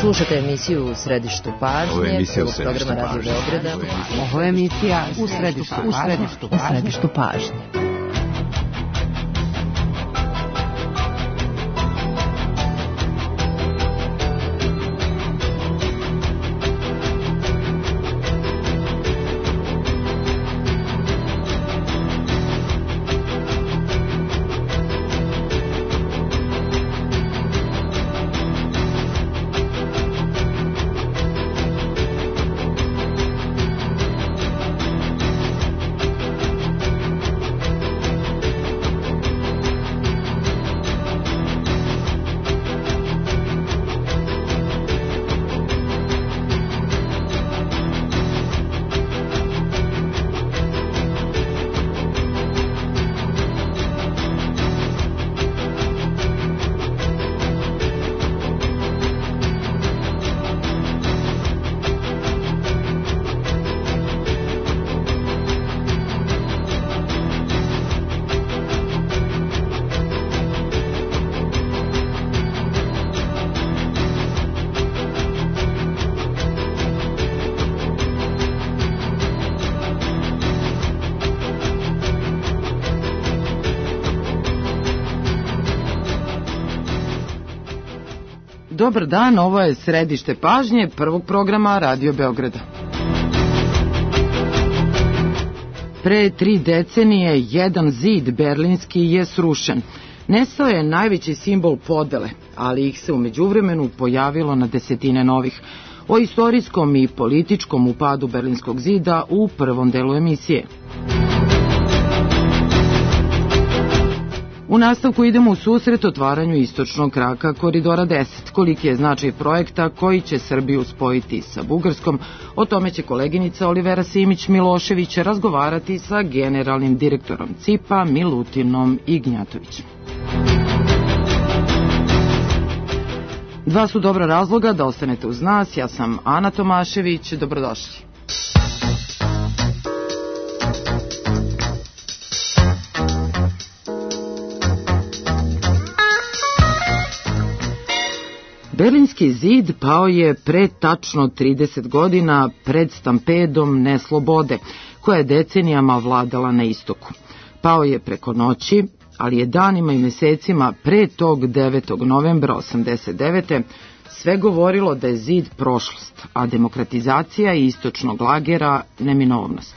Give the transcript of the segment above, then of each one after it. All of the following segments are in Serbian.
Slušate emisiju U središtu pažnje, prvog programa Radio Beograda. Ovo je emisija U središtu pažnje. Dobar dan, ovo je središte pažnje prvog programa Radio Beograda. Pre 3 decenije jedan zid berlinski je srušen. Nestao je najveći simbol podele, ali ih se u međuvremenu pojavilo na desetine novih. O istorijskom i političkom upadu Berlinskog zida u prvom delu emisije. U nastavku idemo u susret otvaranju istočnog kraka Koridora 10. Koliki je značaj projekta koji će Srbiju spojiti sa Bugarskom, o tome će koleginica Olivera Simić-Milošević razgovarati sa generalnim direktorom CIP-a Milutinom Ignjatovićem. Dva su dobra razloga da ostanete uz nas. Ja sam Ana Tomašević. Dobrodošli. Berlinski zid pao je pre tačno 30 godina pred stampedom neslobode, koja je decenijama vladala na istoku. Pao je preko noći, ali je danima i mesecima pre tog 9. novembra 1989. sve govorilo da je zid prošlost, a demokratizacija istočnog lagera neminovnost.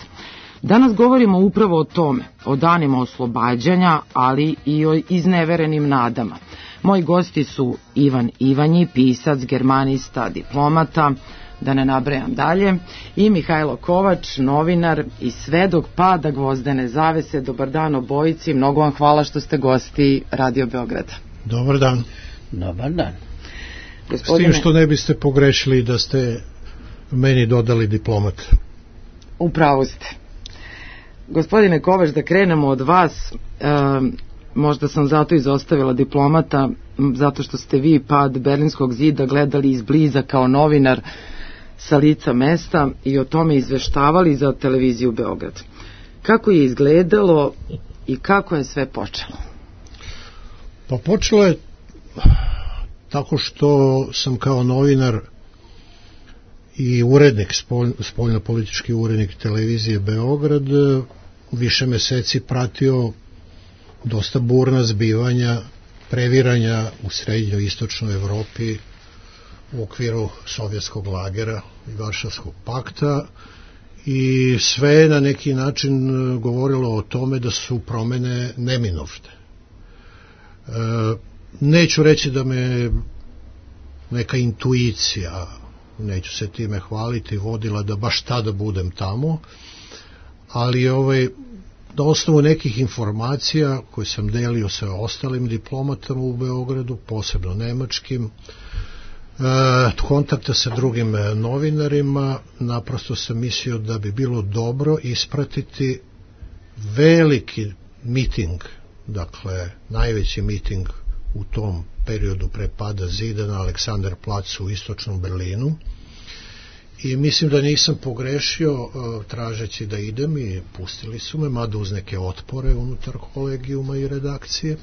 Danas govorimo upravo o tome, o danima oslobađanja, ali i o izneverenim nadama. Moji gosti su Ivan Ivanji, pisac, germanista, diplomata, da ne nabrajam dalje, i Mihajlo Kovač, novinar i svedok pada gvozdene zavese. Dobar dan obojici, mnogo vam hvala što ste gosti Radio Beograda. Dobar dan. Dobar dan. Gospodine... S tim što ne biste pogrešili da ste meni dodali diplomat. Upravo ste. Gospodine Kovač, da krenemo od vas. Možda sam zato izostavila diplomata, zato što ste vi pad Berlinskog zida gledali izbliza kao novinar sa lica mesta i o tome izveštavali za televiziju Beograd. Kako je izgledalo i kako je sve počelo? Pa počelo je tako što sam kao novinar i urednik, spoljnopolitički urednik televizije Beograd, više meseci pratio dosta burna zbivanja, previranja u srednjoj istočnoj Evropi u okviru sovjetskog lagera i Varšavskog pakta, i sve je na neki način govorilo o tome da su promene neminovne. Neću reći da me neka intuicija, neću se time hvaliti, vodila da baš tada budem tamo, ali na osnovu nekih informacija koje sam delio sa ostalim diplomatama u Beogradu, posebno nemačkim, kontakta sa drugim novinarima, naprosto sam mislio da bi bilo dobro ispratiti veliki miting, dakle najveći miting u tom periodu pre pada zida na Aleksanderplacu u istočnom Berlinu. I mislim da nisam pogrešio tražeći da idem, i pustili su me, mada uz neke otpore unutar kolegijuma i redakcije.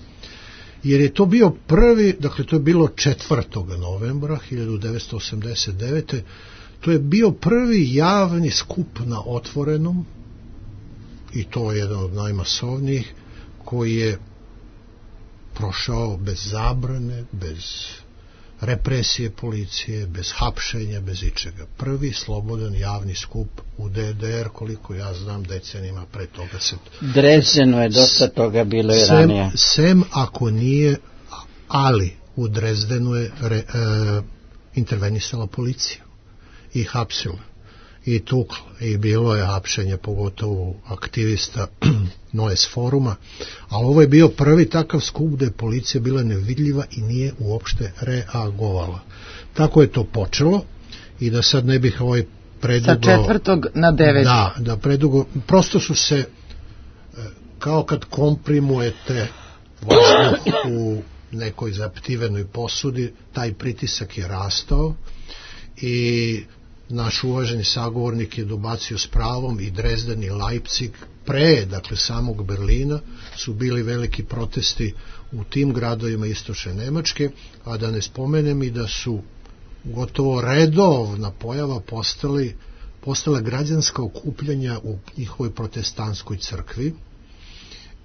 jer je to bio prvi, dakle to je bilo 4. novembra 1989. To je bio prvi javni skup na otvorenom, i to je jedan od najmasovnijih, koji je prošao bez zabrane, bez represije policije, bez hapšenja, bez ičega. Prvi slobodan javni skup u DDR, koliko ja znam, decenijima pre toga se... Drezdenu je dosta toga bilo i ranije. Sem ako nije, ali u Drezdenu je intervenisala policija i hapsila i tukla i bilo je hapšenje, pogotovo aktivista Noes foruma, ali ovo je bio prvi takav skup gde je policija bila nevidljiva i nije uopšte reagovala. Tako je to počelo, i da sad ne bih predugo... Sa 4. na 9. Da, predugo, prosto su se, kao kad komprimujete vazduh u nekoj zaptivenoj posudi, taj pritisak je rastao i naš uvaženi sagovornik je dobacio s pravom, i Drezden i Leipzig pre, dakle, samog Berlina su bili veliki protesti u tim gradovima istočne Nemačke, a da ne spomenem i da su gotovo redovna pojava postala građanska okupljanja u njihovoj protestantskoj crkvi.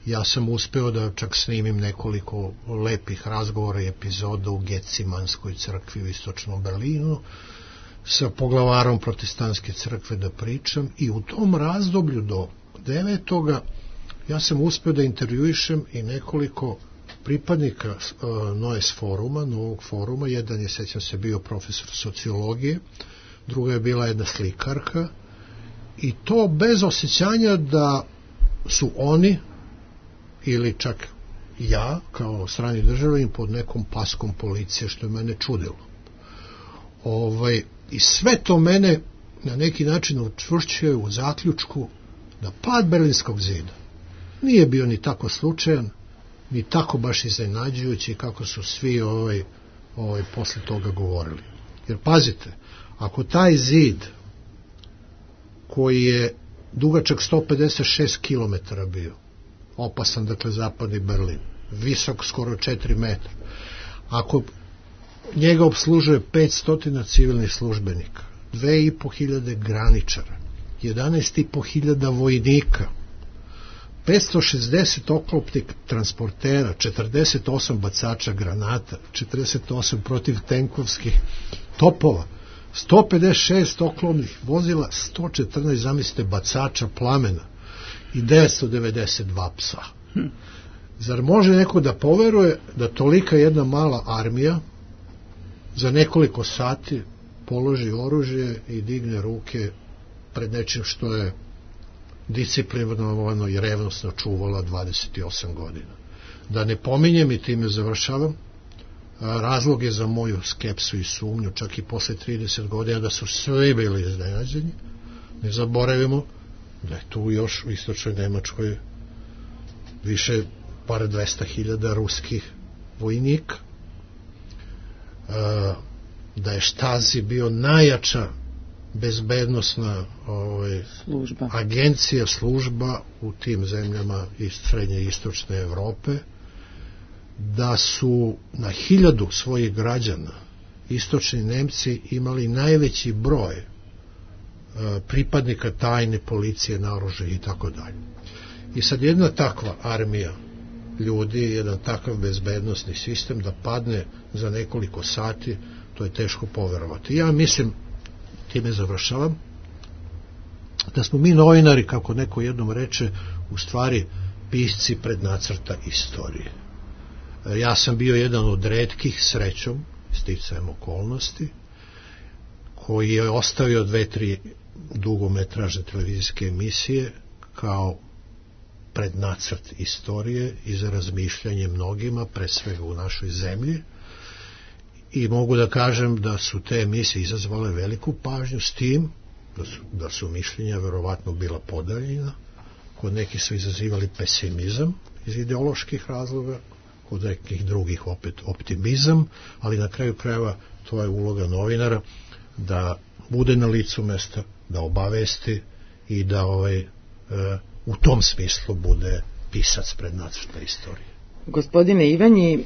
Ja sam uspeo da čak snimim nekoliko lepih razgovora i epizoda u Gecimanskoj crkvi u istočnom Berlinu, sa poglavarom protestantske crkve da pričam, i u tom razdoblju do 9. ja sam uspeo da intervjuišem i nekoliko pripadnika Noes foruma, novog foruma. Jedan je, sećam se, bio profesor sociologije, druga je bila jedna slikarka, i to bez osjećanja da su oni ili čak ja kao strani državljanin pod nekom paskom policije, što je mene čudilo. I sve to mene na neki način učvršćuje u zaključku da pad Berlinskog zida nije bio ni tako slučajan, ni tako baš iznenađujući kako su svi posle toga govorili. Jer pazite, ako taj zid koji je dugačak 156 km bio, opasan, dakle, zapadni Berlin, visok skoro 4 metra, ako njega obslužuje 500 civilnih službenika, 2500 graničara, 11.500 vojnika, 560 oklopnih transportera, 48 bacača granata, 48 protivtenkovskih topova, 156 oklopnih vozila, 114, zamislite, bacača plamena i 992 psa. Zar može neko da poveruje da tolika jedna mala armija za nekoliko sati položi oružje i digne ruke pred nečim što je disciplinovano i revnosno čuvala 28 godina? Da ne pominjem, i time završavam, razlog je za moju skepsu i sumnju, čak i posle 30 godina, da su svi bili iznenađeni. Ne zaboravimo da je tu još u istočnoj Nemačkoj više par 200.000 ruskih vojnika, da je Štasi bio najjača bezbednosna agencija, služba u tim zemljama iz srednje i istočne Evrope, da su na 1000 svojih građana istočni Nemci imali najveći broj pripadnika tajne policije, naoružanih i tako dalje. I sad jedna takva armija ljudi, jedan takav bezbednosni sistem da padne za nekoliko sati, to je teško poverovati. Ja mislim, time završavam, da smo mi novinari, kako neko jednom reče, u stvari pisci prednacrta istorije. Ja sam bio jedan od retkih, srećom, sticajem okolnosti, koji je ostavio 2-3 dugometražne televizijske emisije kao prednacrt istorije i za razmišljanje mnogima, pre svega u našoj zemlji, i mogu da kažem da su te emisije izazvale veliku pažnju, s tim da su mišljenja verovatno bila podeljena, kod nekih su izazivali pesimizam iz ideoloških razloga, kod nekih drugih opet optimizam, ali na kraju krajeva to je uloga novinara, da bude na licu mesta, da obavesti i da u tom smislu bude pisac prednacrta istorije. Gospodine Ivanji,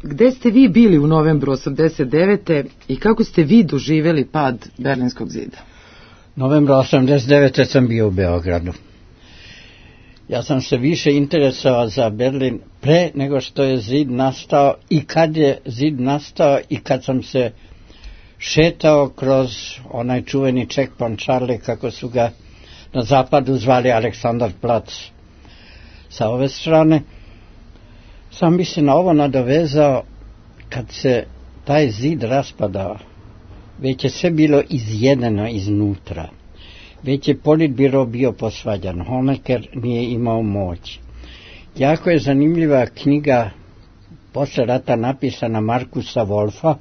gde ste vi bili u novembru 89. i kako ste vi doživjeli pad Berlinskog zida? Novembra 89. sam bio u Beogradu. Ja sam se više interesovao za Berlin pre nego što je zid nastao i kad je zid nastao i kad sam se šetao kroz onaj čuveni checkpoint Charlie, kako su ga na zapadu zvali Aleksandarplatz sa ove strane. Sam bi se na ovo nadovezao kad se taj zid raspadao. Već je sve bilo izjedeno iznutra. Već je politbiro bio posvađan. Honecker nije imao moć. Jako je zanimljiva knjiga posle rata napisana Markusa Wolfa,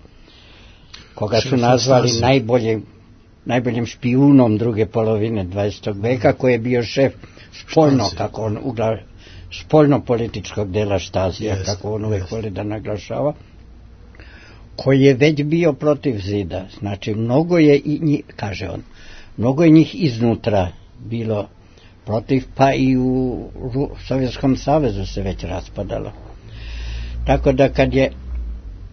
koga su nazvali najboljim špijunom druge polovine 20. veka, koji je bio šef spoljno-političkog dela Štazija, kako on uvek voli da naglašava, koji je već bio protiv zida. Znači, mnogo je kaže on, mnogo je njih iznutra bilo protiv, pa i u Sovjetskom savezu se već raspadalo. Tako da kad je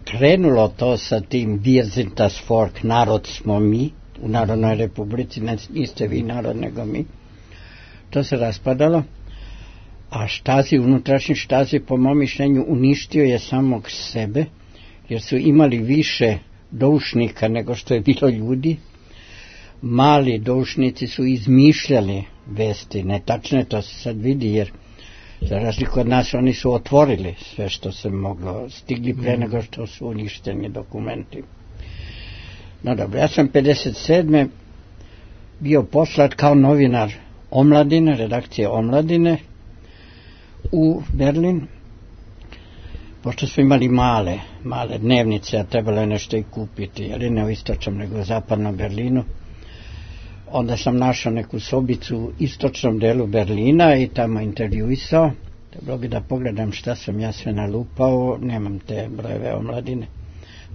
krenulo to sa tim Wir sind das Volk, narod smo mi, u Narodnoj republici, niste vi narod nego mi, to se raspadalo, a unutrašnji Štasi, po mom mišljenju, uništio je samog sebe, jer su imali više doušnika nego što je bilo ljudi. Mali doušnici su izmišljali vesti, netačne, to se sad vidi, jer za razliku od nas oni su otvorili sve što se moglo, stigli pre nego što su uništeni dokumenti. No dobro, ja sam 57. bio poslat kao novinar Omladine, redakcije Omladine u Berlin, pošto smo imali male dnevnice, a trebalo je nešto i kupiti, ali ne u istočnom nego u zapadnom Berlinu. Onda sam našao neku sobicu u istočnom delu Berlina i tamo intervjuisao. Trebalo bi da pogledam šta sam ja sve nalupao, nemam te brojeve Omladine.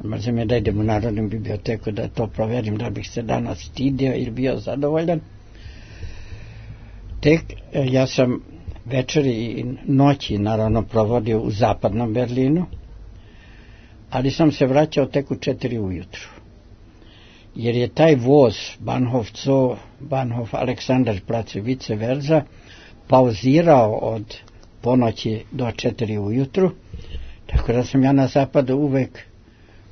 Mrzim je da idem u Narodnu biblioteku da to proverim, da bih se danas stidio ili bio zadovoljan. Ja sam večeri i noći naravno provodio u zapadnom Berlinu, ali sam se vraćao tek u 4 ujutru. Jer je taj voz Bahnhof Zoo, Bahnhof Aleksandarplatz i vice versa pauzirao od ponoći do 4 ujutru, tako da sam ja na zapadu uvek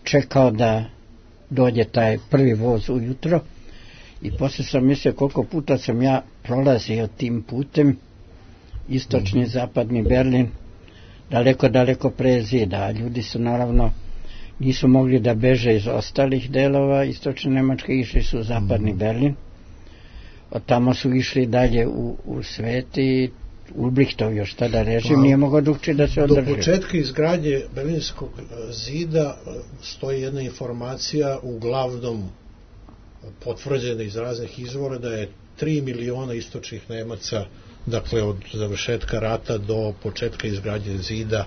čekao da dođe taj prvi voz ujutro i posle sam mislio koliko puta sam ja prolazio tim putem, istočni zapadni Berlin, daleko pre zida, a ljudi su naravno nisu mogli da beže iz ostalih delova istočne Nemačke, išli su u zapadni Berlin, od tamo su išli dalje u svet i Ulbrichtov još tada režim nije mogao drugčije da se održi. Do početka izgradnje Berlinskog zida stoji jedna informacija, uglavnom potvrđena iz raznih izvora, da je 3 miliona istočnih Nemaca, dakle od završetka rata do početka izgradnje zida,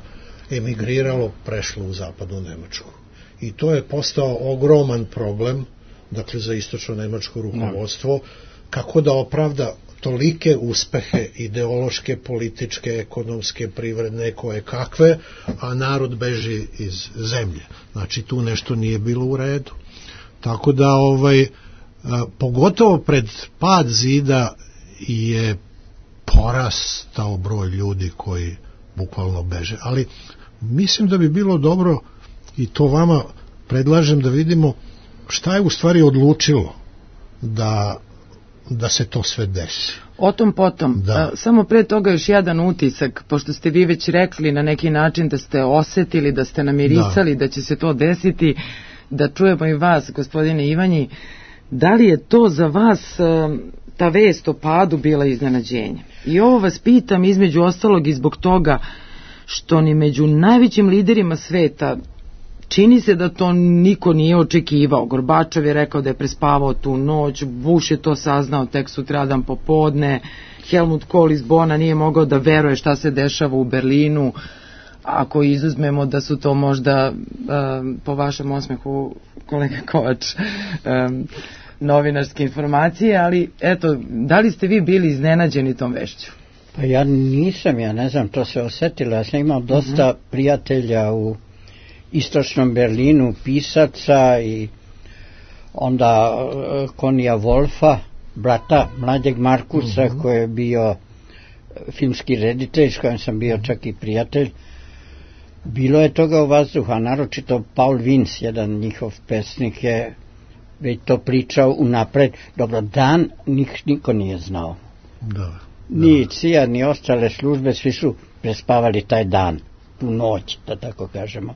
emigriralo, prešlo u zapadnu Nemačku. I to je postao ogroman problem, dakle za istočno nemačko rukovodstvo, kako da opravda tolike uspehe ideološke, političke, ekonomske, privredne, koje kakve, a narod beži iz zemlje. Znači tu nešto nije bilo u redu. Tako da pogotovo pred pad zida je porastao broj ljudi koji bukvalno beže. Ali mislim da bi bilo dobro, i to vama predlažem, da vidimo šta je u stvari odlučilo da se to sve desi. O tom potom. Samo pre toga još jedan utisak, pošto ste vi već rekli na neki način da ste osetili, da ste namirisali da će se to desiti, da čujemo i vas, gospodine Ivanji, da li je to za vas ta vest o padu bila iznenađenje? I ovo vas pitam između ostalog i zbog toga što ni među najvećim liderima sveta čini se da to niko nije očekivao. Gorbačov je rekao da je prespavao tu noć, Bush je to saznao tek sutradan popodne, Helmut Kohl iz Bona nije mogao da veruje šta se dešava u Berlinu, ako izuzmemo da su to možda, po vašem osmehu, kolega Kovač, novinarske informacije, ali eto, da li ste vi bili iznenađeni tom vešću? Pa ja nisam, ja ne znam, to se osetilo. Ja sam imao dosta prijatelja u istočnom Berlinu, pisaca i onda Konija Wolfa, brata mlađeg Markusa, koji je bio filmski reditelj, s kojim sam bio čak i prijatelj. Bilo je toga u vazduhu, a naročito Paul Vince, jedan njihov pesnik, je već to pričao unapred. Dobro, dan niko nije znao. Ni CIA, ni ostale službe, svi su prespavali taj dan, tu noć, da tako kažemo.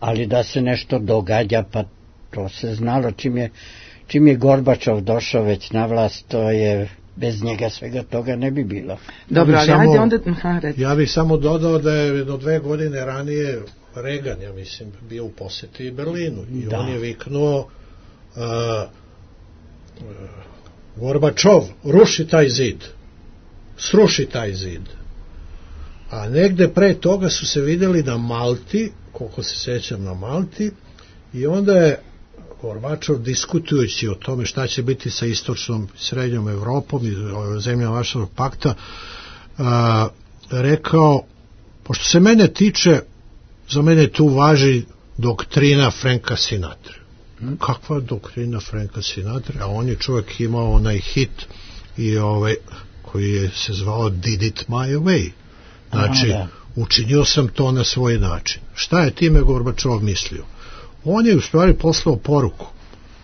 Ali da se nešto događa, pa to se znalo. Čim je Gorbačov došao već na vlast, to je, bez njega svega toga ne bi bilo. Dobro, ali ajde onda... Ja bih samo dodao da je do 2 godine ranije Reagan, ja mislim, bio u poseti Berlinu i on je viknuo Gorbačov, ruši taj zid, sruši taj zid. A negde pre toga su se videli na Malti, koliko se sećam, na Malti, i onda je Gorbačov, diskutujući o tome šta će biti sa istočnom srednjom Evropom i zemljama Varšavskog pakta, rekao, pošto se mene tiče, za mene tu važi doktrina Franka Sinatra. Kakva doktrina Franka Sinatra? A on je čovjek imao onaj hit i koji je se zvao Did it my way. Znači, učinio sam to na svoj način. Šta je time Gorbačov mislio? On je u stvari poslao poruku: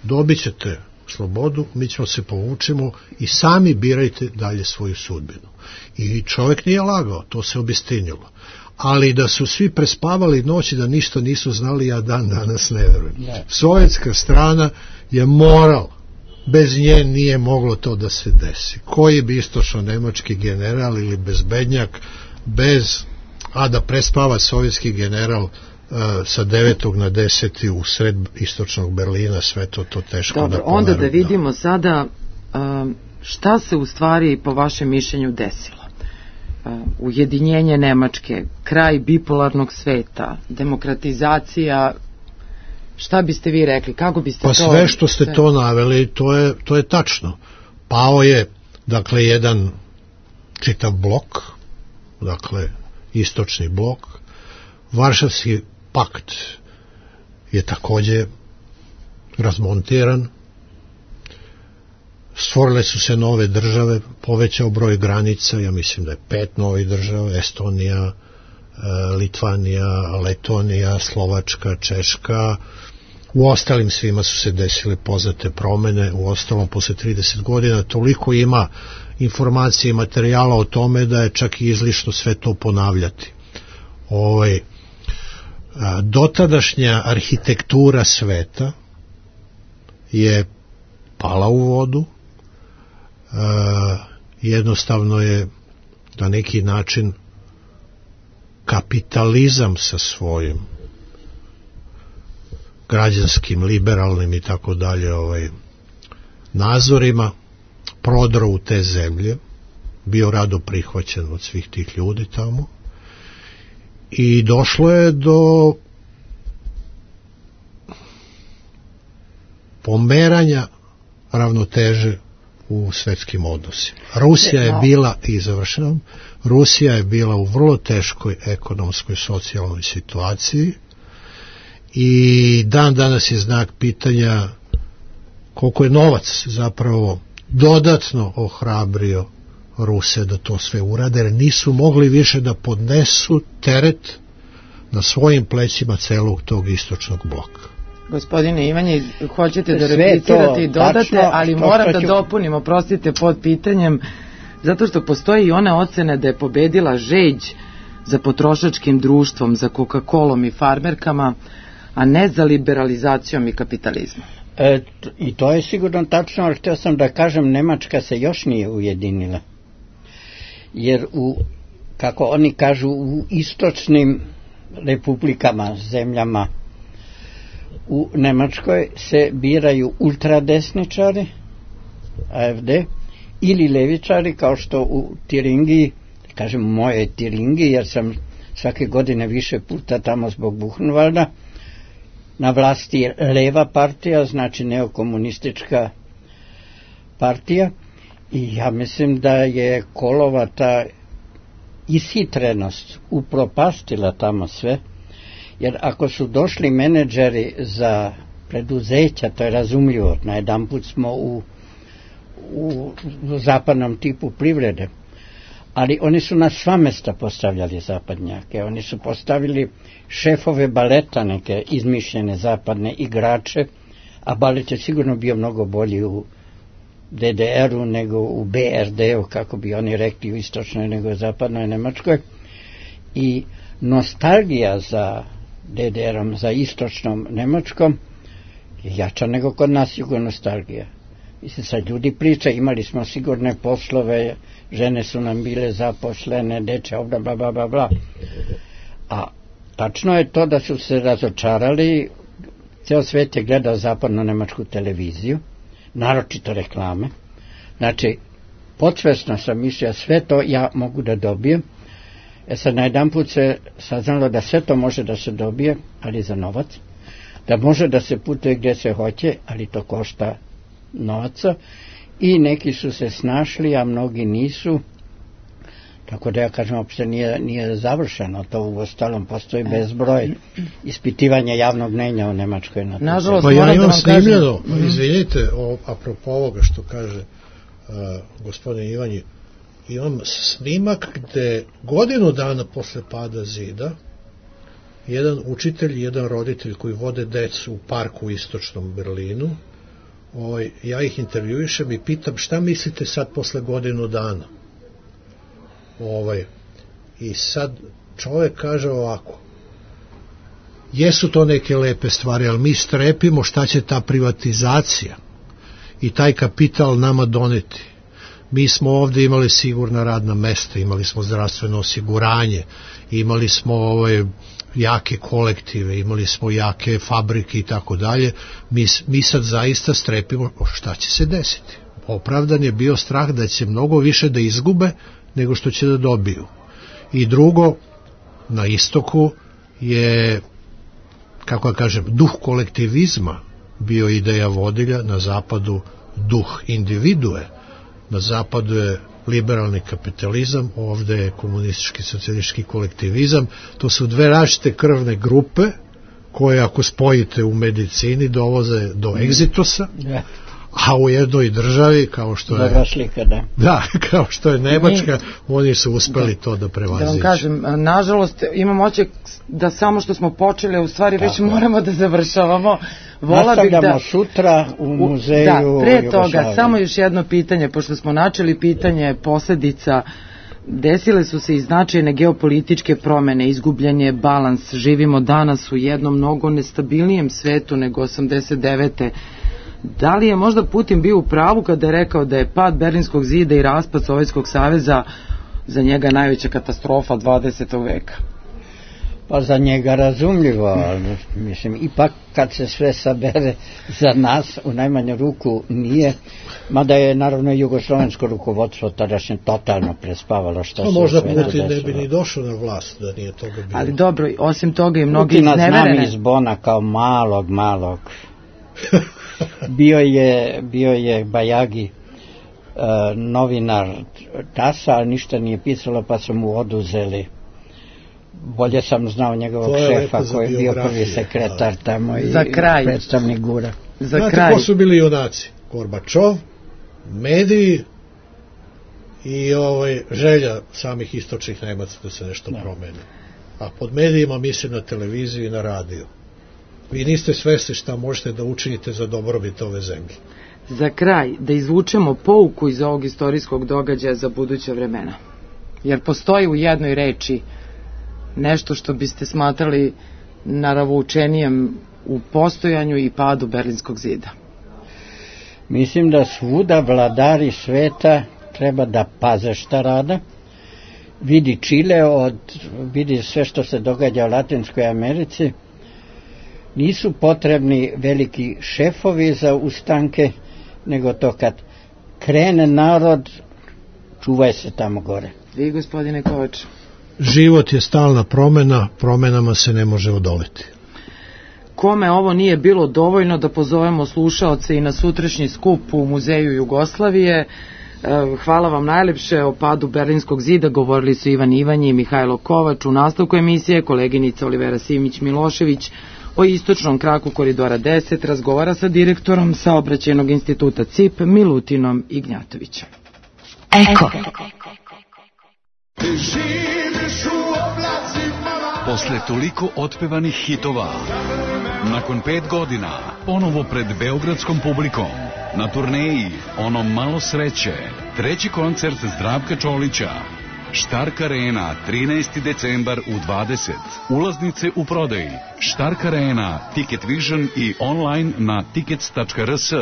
dobit ćete slobodu, mi ćemo se povučemo i sami birajte dalje svoju sudbinu. I čovjek nije lagao, to se obistinilo. Ali da su svi prespavali noći, da ništa nisu znali, ja dan danas ne verujem. Sovjetska strana je morala, bez nje nije moglo to da se desi. Koji bi istočno-nemački general ili bezbednjak, da prespava sovjetski general sa 9. na 10. u sred istočnog Berlina, sve to teško. Dobro, onda da vidimo sada šta se u stvari po vašem mišljenju desilo. Ujedinjenje Nemačke, kraj bipolarnog sveta, demokratizacija, šta biste vi rekli, kako biste to... Pa sve što ste to naveli, to je tačno. Pao je, dakle, jedan čitav blok, dakle, istočni blok. Varšavski pakt je takođe razmontiran, stvorile su se nove države, povećao broj granica, ja mislim da je 5 novih država, Estonija, Litvanija, Letonija, Slovačka, Češka. U ostalim svima su se desile poznate promene, u ostalom posle 30 godina toliko ima informacije i materijala o tome da je čak i izlišno sve to ponavljati. Dotadašnja arhitektura sveta je pala u vodu, jednostavno je na neki način kapitalizam sa svojim građanskim, liberalnim i tako dalje nazorima prodro u te zemlje, bio rado prihvaćen od svih tih ljudi tamo i došlo je do pomeranja ravnoteže u svetskim odnosima. Rusija je bila, i završavam, Rusija je bila u vrlo teškoj ekonomskoj, socijalnoj situaciji i dan danas je znak pitanja koliko je novac zapravo dodatno ohrabrio Ruse da to sve urade, jer nisu mogli više da podnesu teret na svojim plećima celog tog istočnog bloka. Gospodine Ivanje, hoćete da replicirate i dodate, tačno, ali moram da dopunim, oprostite, pod pitanjem, zato što postoji i ona ocena da je pobedila žeđ za potrošačkim društvom, za Coca-Colom i farmerkama, a ne za liberalizacijom i kapitalizmom. I to je sigurno tačno, ali htio sam da kažem, Nemačka se još nije ujedinila. Jer kako oni kažu, u istočnim republikama, zemljama u Nemačkoj se biraju ultradesničari, AfD, ili levičari, kao što u Tiringiji, kažem moje Tiringiji, jer sam svake godine više puta tamo zbog Buchenwalda, na vlasti je leva partija, znači neokomunistička partija, i ja mislim da je Kohlova ta ishitrenost upropastila tamo sve, jer ako su došli menadžeri za preduzeća, to je razumljivo, najedanput smo u zapadnom tipu privrede, ali oni su na sva mesta postavljali zapadnjake, oni su postavili šefove baleta, neke izmišljene zapadne igrače, a balet je sigurno bio mnogo bolji u DDR-u nego u BRD-u, kako bi oni rekli, u istočnoj nego u zapadnoj Nemačkoj. I nostalgija za DDR-om, za istočnom Nemačkom je jača nego kod nas jugonostalgija. Mislim, sad ljudi priča, imali smo sigurne poslove, žene su nam bile zaposlene, deče, bla, bla, bla, bla, bla. A tačno je to da su se razočarali, ceo svet je gledao zapadno-nemačku televiziju, naročito reklame. Znači, podsvesno sam mislio, sve to ja mogu da dobijem. Sad najedan put se saznalo da sve to može da se dobije, ali za novac. Da može da se putuje gdje se hoće, ali to košta novaca. I neki su se snašli, a mnogi nisu. Tako da ja kažem, uopšte nije završeno. To u ostalom postoji bezbroj ispitivanja javnog mnenja u Nemačkoj. Nažalost, pa ja imam snimljeno, izvinite, apropo ovoga što kaže gospodin Ivanji, imam snimak gde godinu dana posle pada zida jedan učitelj i jedan roditelj koji vode decu u parku u istočnom Berlinu, ja ih intervjuišem i pitam šta mislite sad posle godinu dana. I sad čovjek kaže ovako, jesu to neke lepe stvari, ali mi strepimo šta će ta privatizacija i taj kapital nama doneti. Mi smo ovdje imali sigurna radna mesta, imali smo zdravstveno osiguranje, imali smo jake kolektive, imali smo jake fabrike i tako dalje. Mi sad zaista strepimo šta će se desiti. Opravdan je bio strah da će mnogo više da izgube nego što će da dobiju. I drugo, na istoku je, kako ja kažem, duh kolektivizma bio ideja vodilja, na zapadu duh individue, na zapadu je liberalni kapitalizam, ovdje je komunistički socijalistički kolektivizam. To su dve različite krvne grupe koje ako spojite u medicini dovoze do egzitosa, a u jednoj državi kao što je kao što je Nemačka, oni su uspeli to da prevaziđu. Da vam kažem, nažalost imam oček da samo što smo počeli, u stvari već moramo da završavamo. Nastavljamo sutra u muzeju. Da, pre toga, samo još jedno pitanje, pošto smo načeli pitanje posledica. Desile su se i značajne geopolitičke promene, izgubljen je balans, živimo danas u jednom mnogo nestabilnijem svetu nego 89. Da li je možda Putin bio u pravu kada je rekao da je pad Berlinskog zida i raspad Sovjetskog saveza za njega najveća katastrofa 20. veka? Pa za njega razumljivo, ali mislim, ipak kad se sve sabere za nas, u najmanju ruku nije, mada je naravno jugoslovensko rukovodstvo tadašnje totalno prespavalo što se možda Putin ne bi ni došao na vlast da nije toga bilo. Ali dobro, osim toga i mnogi izneverene. Putina znam iz Bona kao malog. Bio je Bajagi novinar TAS-a, ali ništa nije pisalo, pa su mu oduzeli. Bolje sam znao njegovog šefa koji je bio prvi sekretar tamo i predstavnik GUR-a. Znate ko su bili junaci? Gorbačov, mediji i želja samih istočnih Nemaca da se nešto promeni. A pod medijima mislim na televiziju i na radio. Vi niste svesni šta možete da učinite za dobrobit ove zemlje. Za kraj, da izvučemo pouku iz ovog istorijskog događaja za buduća vremena. Jer postoji u jednoj reči nešto što biste smatrali naravučenijem u postojanju i padu Berlinskog zida. Mislim da svuda vladari sveta treba da paze šta rade. Vidi Čile, vidi sve što se događa u Latinskoj Americi. Nisu potrebni veliki šefovi za ustanke, nego to kad krene narod, čuvaj se tamo gore. Vi, gospodine Kovač? Život je stalna promena, promenama se ne može odoleti. Kome ovo nije bilo dovoljno, da pozovemo slušaoce i na sutrašnji skup u Muzeju Jugoslavije. Hvala vam najlepše. O padu Berlinskog zida govorili su Ivan Ivanji i Mihajlo Kovač. U nastavku emisije koleginica Olivera Simić-Milošević o istočnom kraku koridora 10 razgovara sa direktorom Saobraćajnog instituta CIP Milutinom Ignjatovićem. Eko. Posle toliko otpevanih hitova, nakon 5 godina, ponovo pred beogradskom publikom, na turneji Ono malo sreće, treći koncert Zdravka Čolića, Štark Arena, 13. decembar u 20. Ulaznice u prodaji. Štark Arena, Ticket Vision i online na tickets.rs.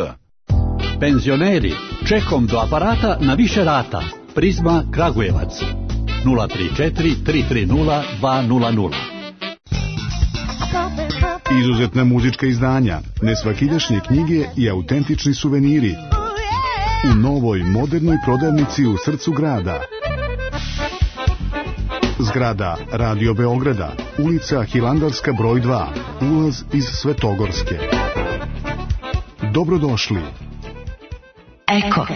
Penzioneri, čekom do aparata na više rata. Prizma Kragujevac 034 330 200. Izuzetna muzička izdanja, nesvakidašnje knjige i autentični suveniri u novoj modernoj prodavnici u srcu grada. Zgrada Radio Beograda, ulica Hilandarska broj 2, ulaz iz Svetogorske. Dobrodošli. Eko.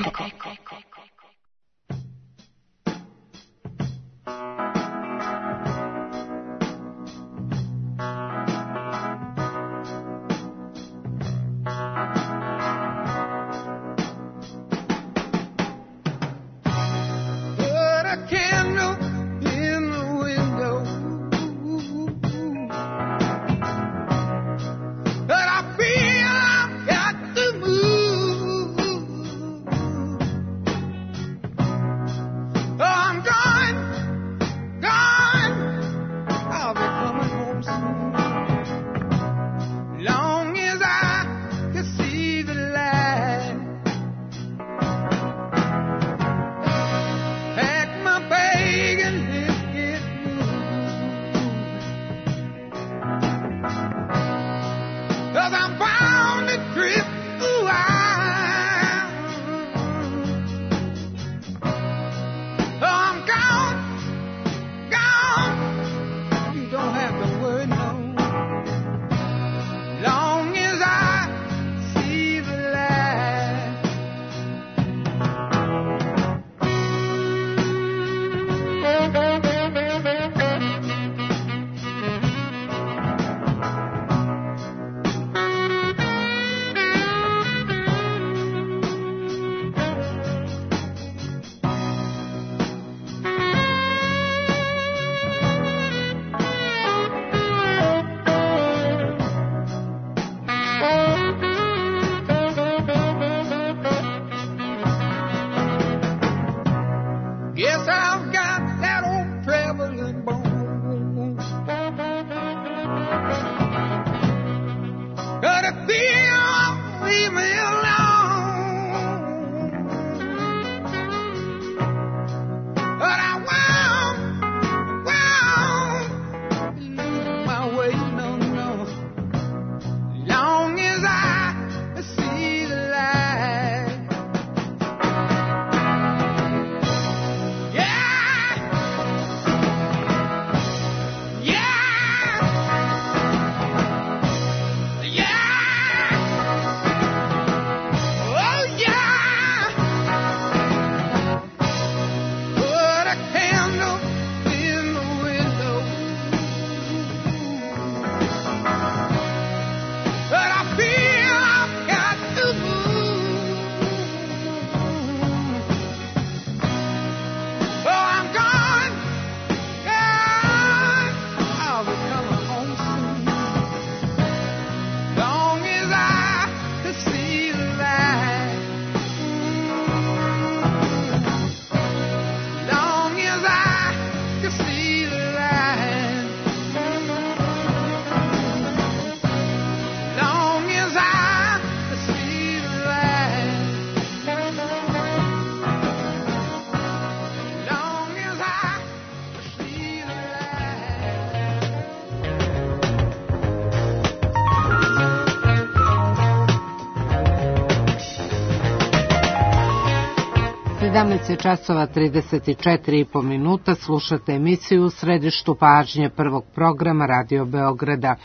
časova 34,5 minuta, slušate emisiju u središtu pažnje prvog programa Radio Beograda.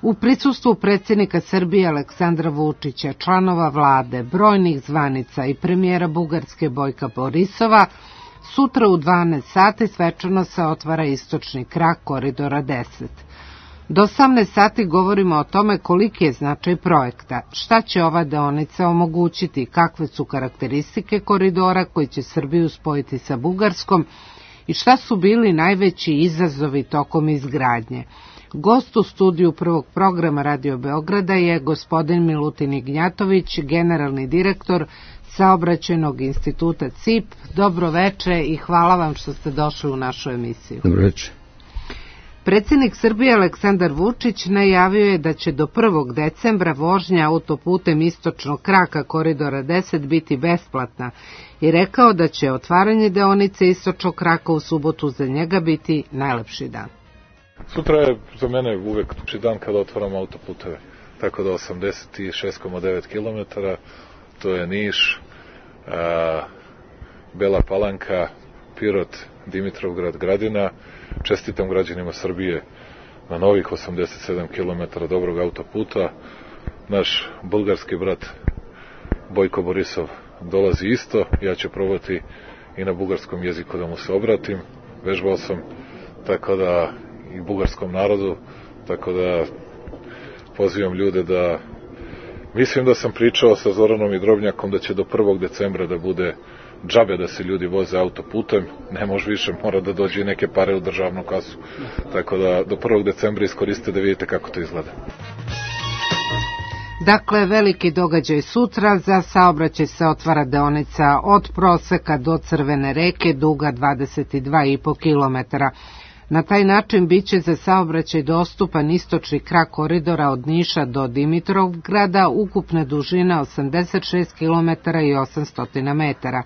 U prisustvu predsjednika Srbije Aleksandra Vučića, članova vlade, brojnih zvanica i premijera Bugarske Bojka Borisova, sutra u 12 sati svečano se otvara istočni krak Koridora 10. Do 18 sati govorimo o tome koliki je značaj projekta, šta će ova deonica omogućiti, kakve su karakteristike koridora koji će Srbiju spojiti sa Bugarskom i šta su bili najveći izazovi tokom izgradnje. Gost u studiju prvog programa Radio Beograda je gospodin Milutin Ignjatović, generalni direktor Saobraćajnog instituta CIP. Dobro veče i hvala vam što ste došli u našu emisiju. Dobro veče. Predsjednik Srbije Aleksandar Vučić najavio je da će do 1. decembra vožnja autoputem istočnog kraka Koridora 10 biti besplatna i rekao da će otvaranje deonice istočnog kraka u subotu za njega biti najlepši dan. Sutra je za mene uvek dan kada otvaramo autoputeve, tako da 86,9 km, to je Niš, Bela Palanka, Pirot, Dimitrovgrad, Gradina. Čestitam građanima Srbije na novih 87 km dobrog autoputa. Naš bulgarski brat Bojko Borisov dolazi isto, ja ću probati i na bugarskom jeziku da mu se obratim, vežbao sam, tako da i bugarskom narodu, tako da pozivam ljude da, mislim da sam pričao sa Zoranom i Drobnjakom da će do 1. decembra da bude džabe da se ljudi voze autoputem, ne može više, mora da dođe neke pare u državnu kasu, tako da do 1. decembra iskoriste da vidite kako to izgleda. Dakle, veliki događaj sutra, za saobraćaj se otvara deonica od Proseka do Crvene reke, duga 22,5 km. Na taj način biće za saobraćaj dostupan istočni krak koridora od Niša do Dimitrovgrada, ukupne dužine 86 km i 800 metara.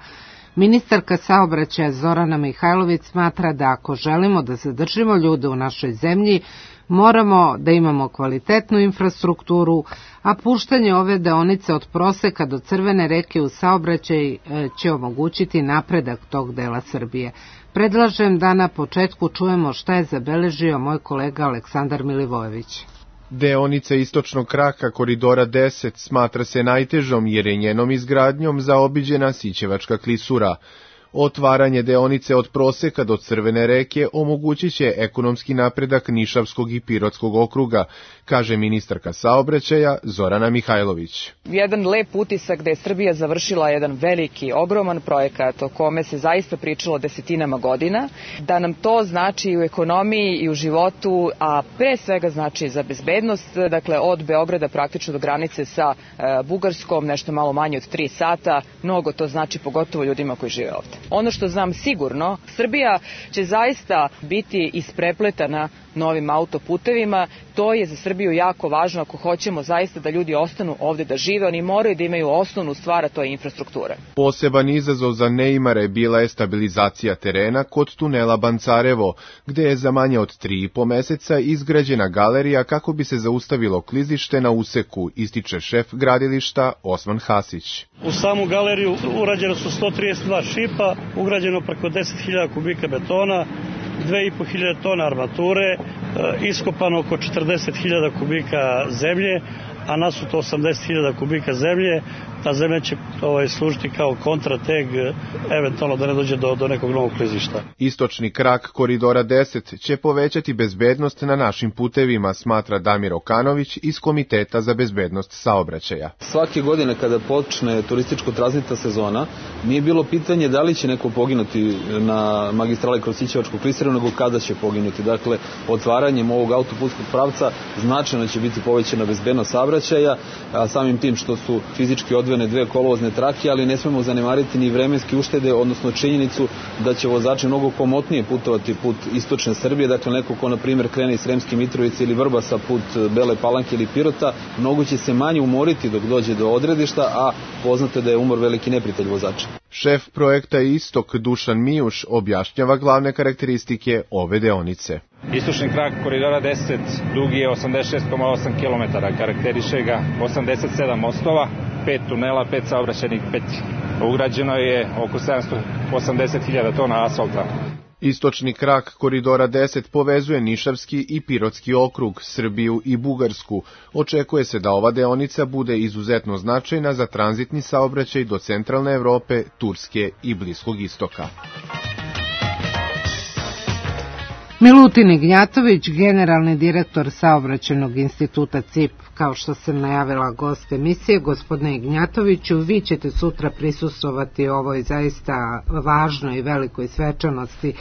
Ministarka saobraćaja Zorana Mihajlović smatra da ako želimo da zadržimo ljude u našoj zemlji, moramo da imamo kvalitetnu infrastrukturu, a puštanje ove deonice od Proseka do Crvene reke u saobraćaj će omogućiti napredak tog dela Srbije. Predlažem da na početku čujemo šta je zabeležio moj kolega Aleksandar Milivojević. Deonica istočnog kraka Koridora 10 smatra se najtežom jer je njenom izgradnjom zaobiđena Sićevačka klisura. Otvaranje deonice od Proseka do Crvene reke omogućit će ekonomski napredak Nišavskog i Pirotskog okruga, kaže ministarka saobraćaja Zorana Mihajlović. Jedan lep utisak da je Srbija završila jedan veliki, ogroman projekat o kome se zaista pričalo desetinama godina, da nam to znači i u ekonomiji i u životu, a pre svega znači za bezbednost, dakle od Beograda praktično do granice sa Bugarskom, nešto malo manje od 3 sata, mnogo to znači pogotovo ljudima koji žive ovde. Ono što znam sigurno, Srbija će zaista biti isprepletana novim autoputevima, to je za Srbiju jako važno ako hoćemo zaista da ljudi ostanu ovde da žive, oni moraju da imaju osnovnu stvar, a to je infrastruktura. Poseban izazov za neimare bila je stabilizacija terena kod tunela Bancarevo, gde je za manje od 3,5 meseca izgrađena galerija kako bi se zaustavilo klizište na useku, ističe šef gradilišta Osman Hasić. U samu galeriju urađeno su 132 šipa, ugrađeno preko 10.000 kubika betona, 2.500 tona armature, iskopano oko 40.000 kubika zemlje, a nasuto 80.000 kubika zemlje. Ta zemlja će služiti kao kontrateg, eventualno da ne dođe do nekog novog klizišta. Istočni krak Koridora 10 će povećati bezbednost na našim putevima, smatra Damir Okanović iz Komiteta za bezbednost saobraćaja. Svake godine kada počne turističko-tranzitna sezona, nije bilo pitanje da li će neko poginuti na magistrali kroz Sićevačku klisuru, nego kada će poginuti. Dakle, otvaranjem ovog autoputskog pravca značajno će biti povećana bezbednost saobraćaja, a samim tim što su fizički odvojene 2 kolovozne trake, ali ne smemo zanemariti ni vremenske uštede, odnosno činjenicu da će vozači mnogo komotnije putovati put istočne Srbije, dakle neko ko na primjer krene iz Sremske Mitrovice ili Vrbasa put Bele Palanke ili Pirota, mnogo će se manje umoriti dok dođe do odredišta, a poznato je da je umor veliki neprijatelj vozača. Šef projekta Istok Dušan Mijuš objašnjava glavne karakteristike ove deonice. Istočni krak Koridora 10 dugi je 86,8 km, karakteriše ga 87 mostova, 5 tunela, 5 saobraćajnih petlji. Ugrađeno je oko 780.000 tona asfalta. Istočni krak koridora 10 povezuje Nišavski i Pirotski okrug, Srbiju i Bugarsku. Očekuje se da ova deonica bude izuzetno značajna za tranzitni saobraćaj do centralne Evrope, Turske i Bliskog istoka. Milutin Ignjatović, generalni direktor Saobraćajnog instituta CIP, kao što sam najavila gost emisije. Gospodine Ignjatoviću, vi ćete sutra prisustvovati ovoj zaista važnoj i velikoj svečanosti.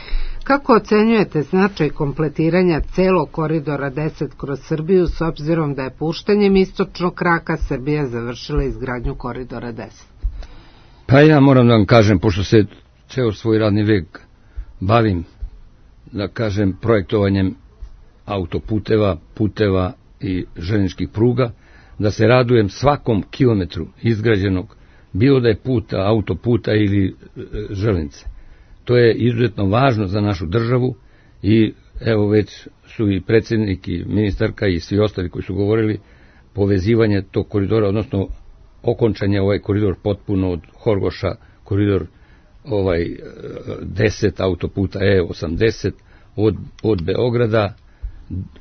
Kako ocenjujete značaj kompletiranja celog koridora 10 kroz Srbiju, s obzirom da je puštanjem istočnog kraka Srbija završila izgradnju koridora 10? Pa ja moram da vam kažem, pošto se ceo svoj radni vek bavim, da kažem, projektovanjem autoputeva, puteva i željezničkih pruga, da se radujem svakom kilometru izgrađenog, bilo da je puta, autoputa ili železnice. To je izuzetno važno za našu državu i evo već su i predsjednik i ministarka i svi ostali koji su govorili povezivanje tog koridora, odnosno okončanje ovaj koridor potpuno od Horgoša, koridor 10 autoputa E80 od Beograda,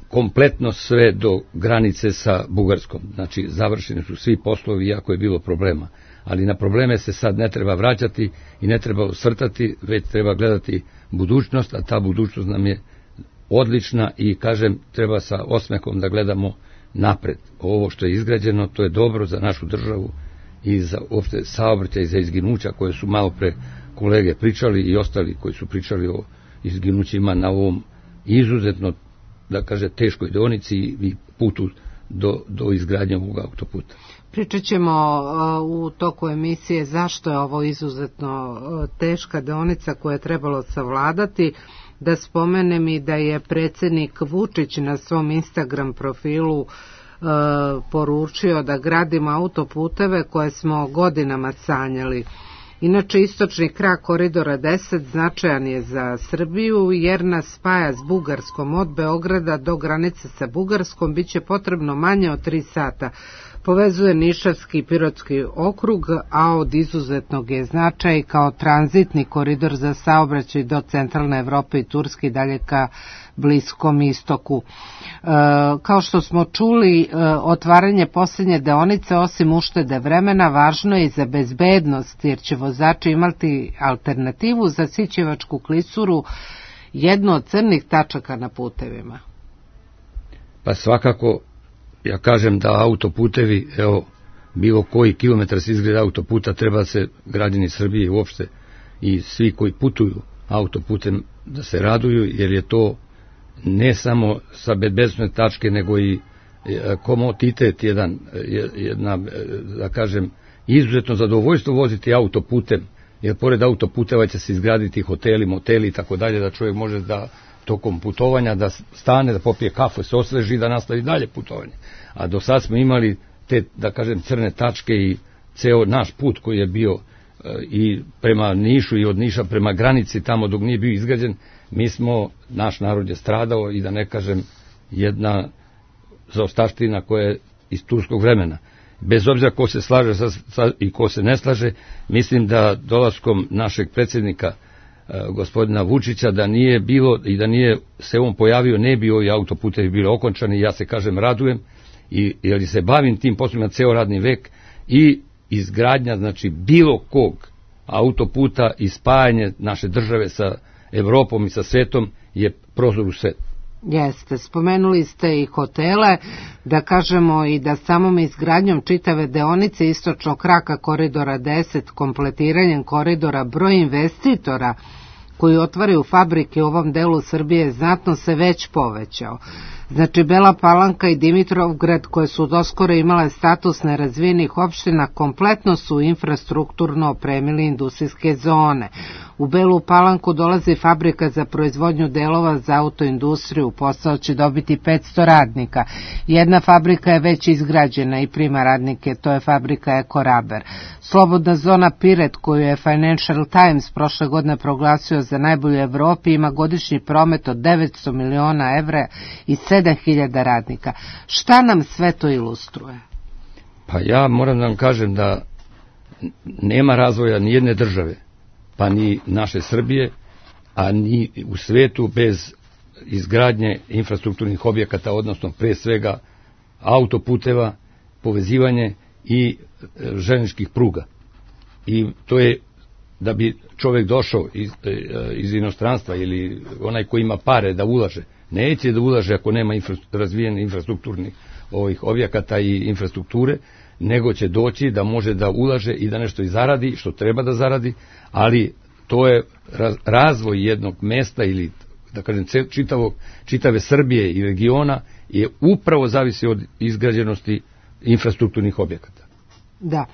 kompletno sve do granice sa Bugarskom. Znači, završeni su svi poslovi, iako je bilo problema. Ali na probleme se sad ne treba vraćati i ne treba osvrtati, već treba gledati budućnost, a ta budućnost nam je odlična i, kažem, treba sa osmehom da gledamo napred. Ovo što je izgrađeno, to je dobro za našu državu i za uopšte saobraćaj i za izginuća koje su malo pre kolege pričali i ostali koji su pričali o izginućima na ovom izuzetno, da kaže, teškoj deonici i putu do izgradnje ovog autoputa. Pričat ćemo u toku emisije zašto je ovo izuzetno teška deonica koju je trebalo savladati. Da spomenem i da je predsjednik Vučić na svom Instagram profilu poručio da gradimo autoputeve koje smo godinama sanjali. Inače, istočni krak koridora 10 značajan je za Srbiju jer nas spaja s Bugarskom. Od Beograda do granice sa Bugarskom biće potrebno manje od 3 sata. Povezuje Nišavski i Pirotski okrug, a od izuzetnog je značaj kao tranzitni koridor za saobraćaj do centralne Evrope i Turske i dalje ka Bliskom istoku. Kao što smo čuli, otvaranje posljednje deonice, osim uštede vremena, važno je i za bezbednost, jer će vozači imati alternativu za Sićevačku klisuru, jednu od crnih tačaka na putevima. Pa svakako, ja kažem da autoputevi, evo, bilo koji kilometar se izgleda autoputa, treba se građani Srbije uopšte i svi koji putuju autoputem da se raduju, jer je to ne samo sa bezbednosne tačke, nego i komoditet jedna, da kažem, izuzetno zadovoljstvo voziti autoputem, jer pored autoputeva će se izgraditi hoteli, moteli i tako dalje, da čovjek može da tokom putovanja da stane, da popije kafu, se osveži i da nastavi dalje putovanje. A do sad smo imali te, da kažem, crne tačke i ceo naš put koji je bio i prema Nišu i od Niša prema granici, tamo dok nije bio izgrađen, naš narod je stradao i da ne kažem jedna zaostavština koja je iz turskog vremena. Bez obzira ko se slaže i ko se ne slaže, mislim da dolaskom našeg predsjednika gospodina Vučića, da nije bilo i da nije se on pojavio, ne bi ovi autoputevi bili okončani. Ja se, kažem, radujem jer se bavim tim poslovima ceo radni vek i izgradnja, znači, bilo kog autoputa i spajanje naše države sa Evropom i sa svetom je prozor u svet. Jeste, spomenuli ste i hotele, da kažemo i da samom izgradnjom čitave deonice istočnog kraka koridora 10, kompletiranjem koridora, broj investitora koji otvaraju fabrike u ovom delu Srbije znatno se već povećao. Znači, Bela Palanka i Dimitrovgrad, koje su doskoro imale status nerazvijenih opština, kompletno su infrastrukturno opremili industrijske zone. U Belu Palanku dolazi fabrika za proizvodnju delova za autoindustriju, posao će dobiti 500 radnika. Jedna fabrika je već izgrađena i prima radnike, to je fabrika Ekoraber. Slobodna zona Piret, koju je Financial Times prošle godine proglasio za najbolju u Evropi, ima godišnji promet od 900 miliona evra i 7.000 radnika. Šta nam sve to ilustruje? Pa ja moram da vam kažem da nema razvoja ni jedne države, pa ni naše Srbije, a ni u svetu bez izgradnje infrastrukturnih objekata, odnosno pre svega autoputeva, povezivanje i železničkih pruga. I to je da bi čovjek došao iz inostranstva ili onaj koji ima pare da ulaže, neće da ulaže ako nema razvijenih infrastrukturnih objekata i infrastrukture, nego će doći da može da ulaže i da nešto i zaradi, što treba da zaradi, ali to je razvoj jednog mesta ili da kažem čitave Srbije i regiona je upravo zavisi od izgrađenosti infrastrukturnih objekata. Da.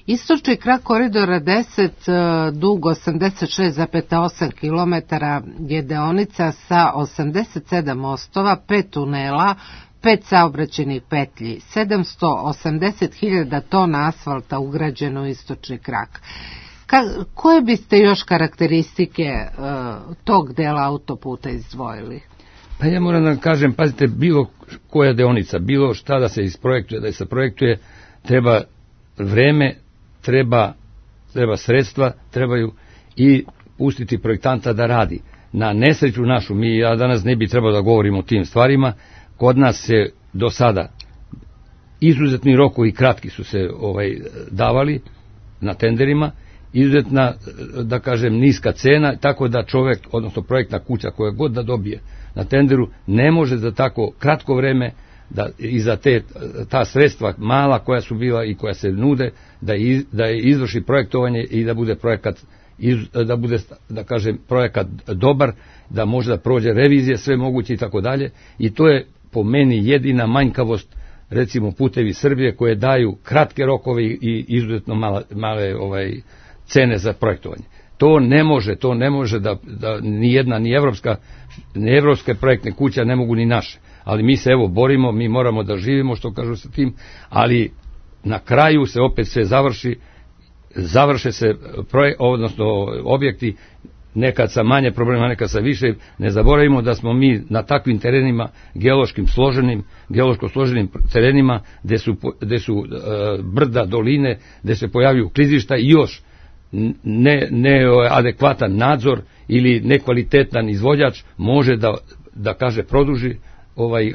Istočni krak koridora 10, dug 86,8 km, je deonica sa 87 mostova, 5 tunela, 5 saobraćajnih petlji, 780.000 tona asfalta ugrađeno u istočni krak. Koje biste još karakteristike tog dela autoputa izdvojili? Pa ja moram da kažem, pazite, bilo koja deonica, bilo šta da se isprojektuje, da se projektuje, treba vreme, treba sredstva, trebaju i pustiti projektanta da radi. Na nesreću našu, ja danas ne bi trebao da govorim o tim stvarima, kod nas se do sada izuzetni rokovi kratki su se davali na tenderima, izuzetna, da kažem, niska cena, tako da čovjek, odnosno projektna kuća koja god da dobije na tenderu, ne može za tako kratko vreme da i za ta sredstva mala koja su bila i koja se nude, da izvrši projektovanje i da bude projekat, da bude, da kažem, projekat dobar, da može da prođe revizije, sve moguće i tako dalje. I to je po meni jedina manjkavost, recimo Putevi Srbije, koje daju kratke rokove i izuzetno male cene za projektovanje. To ne može da ni jedna, ni evropske projektne kuće ne mogu ni naše. Ali mi se evo borimo, mi moramo da živimo, što kažu sa tim, ali na kraju se opet sve završe se odnosno objekti, nekad sa manje problema, nekad sa više. Ne zaboravimo da smo mi na takvim terenima, geološko složenim terenima, gde su brda, doline, gde se pojavljuju klizišta i još neadekvatan nadzor ili nekvalitetan izvođač može da kaže produži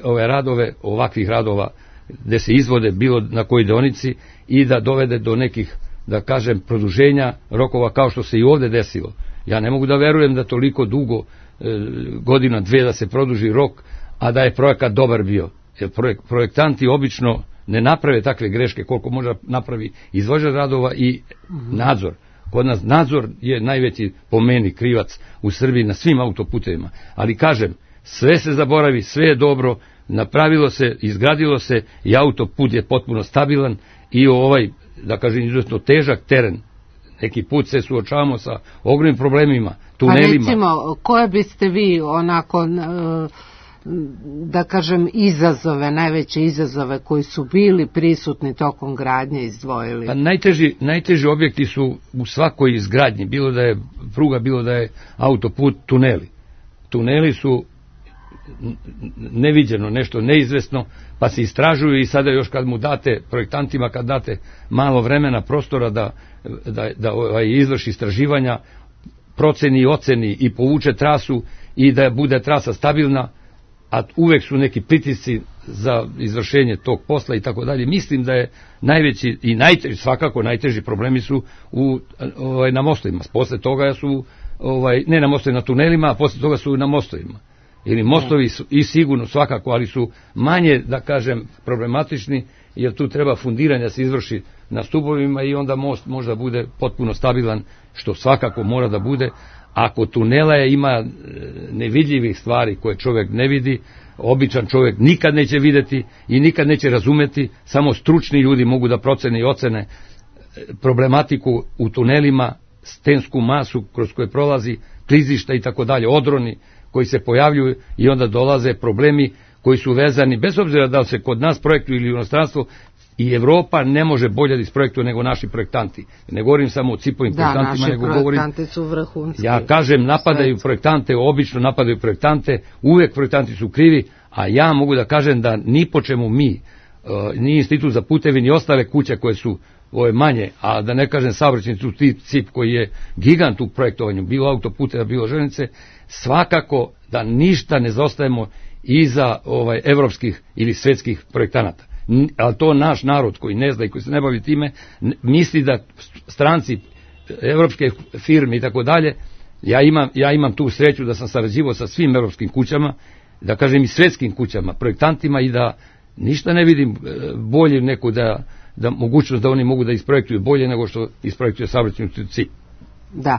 ove radove, ovakvih radova gde se izvode bilo na kojoj deonici i da dovede do nekih, da kažem, produženja rokova kao što se i ovde desilo. Ja ne mogu da verujem da toliko dugo, godina, dve, da se produži rok, a da je projekat dobar bio. Jer projektanti obično ne naprave takve greške koliko može napravi izvođač radova i nadzor. Kod nas nadzor je najveći po meni krivac u Srbiji na svim autoputevima. Ali kažem, sve se zaboravi, sve je dobro, napravilo se, izgradilo se i autoput je potpuno stabilan i da kažem, izuzetno težak teren. Neki put se suočavamo sa ogromnim problemima, tunelima. A recimo, koje biste vi onako, da kažem, najveće izazove koji su bili prisutni tokom gradnje izdvojili? Pa najteži objekti su u svakoj izgradnji, bilo da je pruga, bilo da je autoput, tuneli. Tuneli su neviđeno, nešto neizvesno, pa se istražuju i sada još kad mu date, projektantima kad date malo vremena, prostora da izvrši istraživanja, proceni i oceni i povuče trasu i da bude trasa stabilna, a uvek su neki pritisci za izvršenje tog posla i tako dalje. Mislim da je najveći i svakako najteži problemi su na mostovima. Posle toga su, ne na mostovima, na tunelima, a posle toga su na mostovima. Ili mostovi su i sigurno svakako, ali su manje, da kažem, problematični, jer tu treba fundiranja se izvrši na stubovima i onda most možda bude potpuno stabilan, što svakako mora da bude. Ako tunela ima nevidljivih stvari koje čovjek ne vidi, običan čovjek nikad neće videti i nikad neće razumeti, samo stručni ljudi mogu da procene i ocene problematiku u tunelima, stensku masu kroz koje prolazi, klizišta i tako dalje, odroni koji se pojavljuju i onda dolaze problemi koji su vezani, bez obzira da li se kod nas projektuju ili u inostranstvu, i Evropa ne može bolje da isprojektuje nego naši projektanti. Ne govorim samo o cipovim projektantima, nego govorim... Da, naši projektanti su vrhunski. Ja kažem, napadaju projektante, obično napadaju projektante, uvek projektanti su krivi, a ja mogu da kažem da ni po čemu mi, ni Institut za putevi, ni ostale kuće koje su manje, a da ne kažem saobraćajni CIP koji je gigant u projektovanju, bilo autoputeva, bilo železnice, svakako da ništa ne zostajemo iza evropskih ili svetskih projektanata. Ali to naš narod koji ne zna i koji se ne bavi time, misli da stranci, evropske firme i tako dalje, ja imam tu sreću da sam sarađivao sa svim evropskim kućama, da kažem i svetskim kućama, projektantima, i da ništa ne vidim bolje neko da mogućnost da oni mogu da isprojektuju bolje nego što isprojektuje saobraćajni CIP. Da.